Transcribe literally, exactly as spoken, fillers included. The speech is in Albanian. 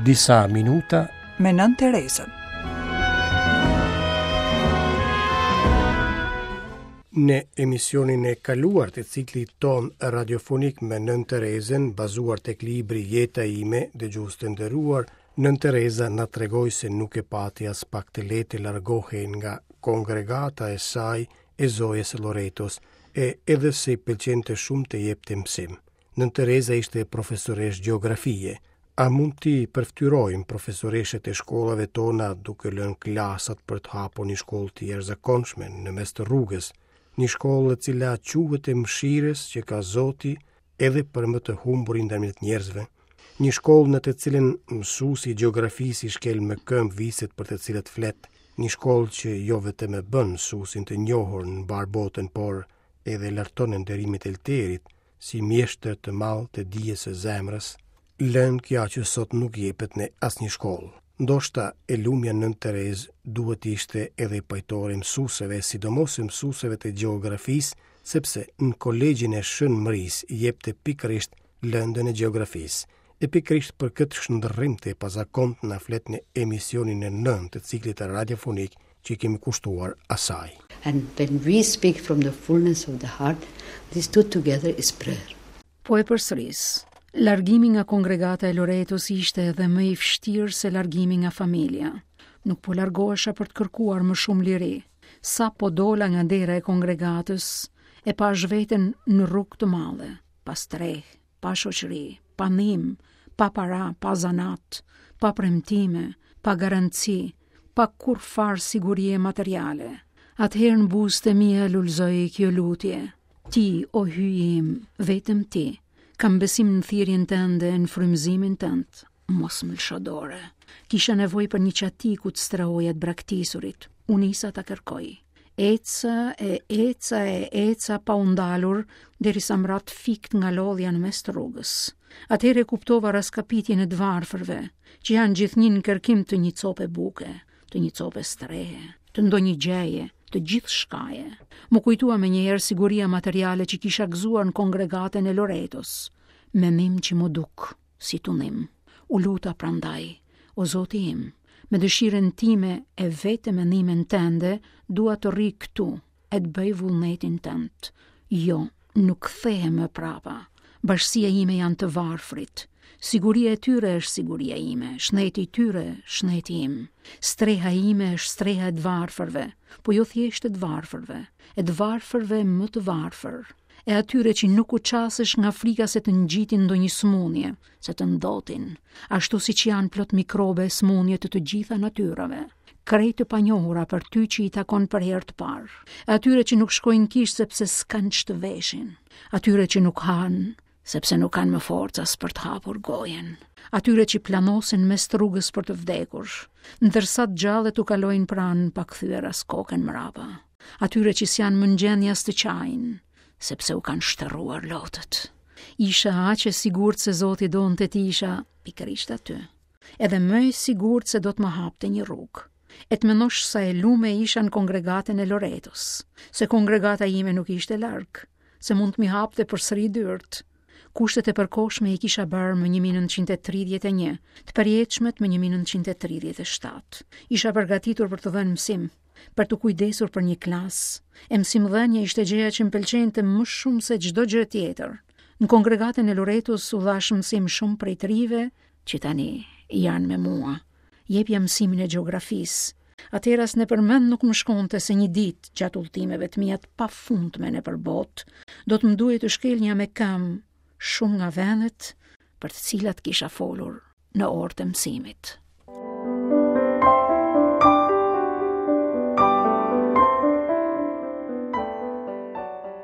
Disa minuta me Nënë Terezën. Në emisionin e kaluar të ciklit ton radiofonik me Nënë Terezën, bazuar tek libri Jeta ime, dëgjues të nderuar, Nënë Tereza na tregoi se nuk e pati as pak të lehtë të largohej nga kongregata e saj e Zojës së Loretos, e edhe se i pëlqente shumë të jepte mësim. Nënë Tereza ishte profesoresh gjeografie. A mund t'i përfytyrojmë profesoreshët e shkollave tona duke lënë klasat për të hapur një shkollë të jashtëzakonshme në mes të rrugës, një shkollë e cila quhet e mëshirës që ka Zoti edhe për më të humburin ndërmjet njerëzve, një shkollë në të cilën mësuesi i gjeografisë i shkel me këmbë viset për të cilat flet, një shkollë që jo vetëm e bën mësuesin të njohur në mbar botën, por edhe larton nderimin e elterit si mjeshtër të madh të dijes së zemrës, lënë kjo që sot nuk jepet në asnjë shkollë. Ndoshta e lumja Nënë Terezë duhet ishte edhe pajtore mësueseve, sidomos mësueseve të gjeografisë, sepse në kolegjin e Shën Mërisë jepte pikërisht lëndën e gjeografisë. E pikërisht për këtë shndërrim të pazakont na flet në emisionin e nëntë të ciklit radiofonik që i kemi kushtuar asaj. And when we speak from the fullness of the heart, these two together is prayer. Po e përsëris. Largimi nga kongregata e Loretos ishte edhe më i vështirë se largimi nga familja. Nuk po largohesha për të kërkuar më shumë liri. Sa po dola nga dera e kongregatës, e pash veten në rrugë të madhe, pa streh, pa shoqëri, pa ndihmë, pa para, pa zanat, pa premtime, pa garanci, pa kurrfar sigurie materiale. Atëherë në buzët e mia lulzoi kjo lutje. Ti, o hyji im, vetëm ti. Kam besim në thirrjen tënde, në frymëzimin tënd. Mos më lësho dore. Kisha nevojë për një çati ku të strehoja të braktisurit. U nisa ta kërkoj. Eca e eca e eca pa u ndalur, derisa më ra të fikt nga lodhja në mes të rrugës. Atëherë kuptova raskapitjen e të varfërve, që janë gjithnjë në kërkim të një cope buke, të një cope strehe, të ndonjë gjëje, të gjithë shkaje. Më kujtua me njëherë siguria materiale që kisha gëzuar në kongregatën e Loretos. Mendim që më duk, si tunim. U luta prandaj, o Zoti im, me dëshirën time e vetëm me ndihmën tënde, dua të rri këtu e të bëj vullnetin tënd. Jo, nuk kthehem më prapa. Bashkësia ime janë të varfrit. Siguria e tyre është siguria ime, shneti i tyre, shneti im. Streha ime është streha e të varfërve, po jo thjesht e të varfërve, e të varfërve më të varfër, e atyre që nuk u qasesh nga frika se të ngjitin ndonjë sëmundje, se të ndotin, ashtu siç janë plot mikrobe e sëmundje të të gjitha natyrave, krejt të panjohura për ty që i takon për herë të parë, e atyre që nuk shkojnë kish sepse s'kan ç'të veshin, atyre që nuk hanë sepse nuk kanë më forcë as për të hapur gojën, atyre që planosen mes rrugës për të vdekur, ndërsa të gjallët u kalojnë pranë pa kthyer as kokën mbrapa, atyre që s'janë më në gjendje as të qajnë, sepse u kanë shtërruar lotët. Isha aq e sigurt se Zoti donte të isha pikërisht aty, edhe më e sigurt se do të më hapte një rrugë. E të mendosh sa e lume isha në kongregatën e Loretos, se kongregata ime nuk ishte larg, se mund të mi hapte përsëri dyert. Kushtet e përkohshme i kisha bërë më një mijë e nëntëqind e tridhjetë e një, të përjetshmet më një mijë e nëntëqind e tridhjetë e shtatë. Isha përgatitur për të dhënë mësim, për të kujdesur për një klasë. E mësimdhënia ishte gjëja që më pëlqente më shumë se çdo gjë tjetër. Në kongregatën e Loretos u dhash mësim shumë prej të rive që tani janë me mua. Jepja mësimin e gjeografisë. Atëherë as nëpër mend nuk më shkonte se një ditë gjatë udhëtimeve të mia të pafundme nëpër botë, do të më duhej të shkelnja me këmbë shumë nga vendet për të cilat kisha folur në orët e mësimit.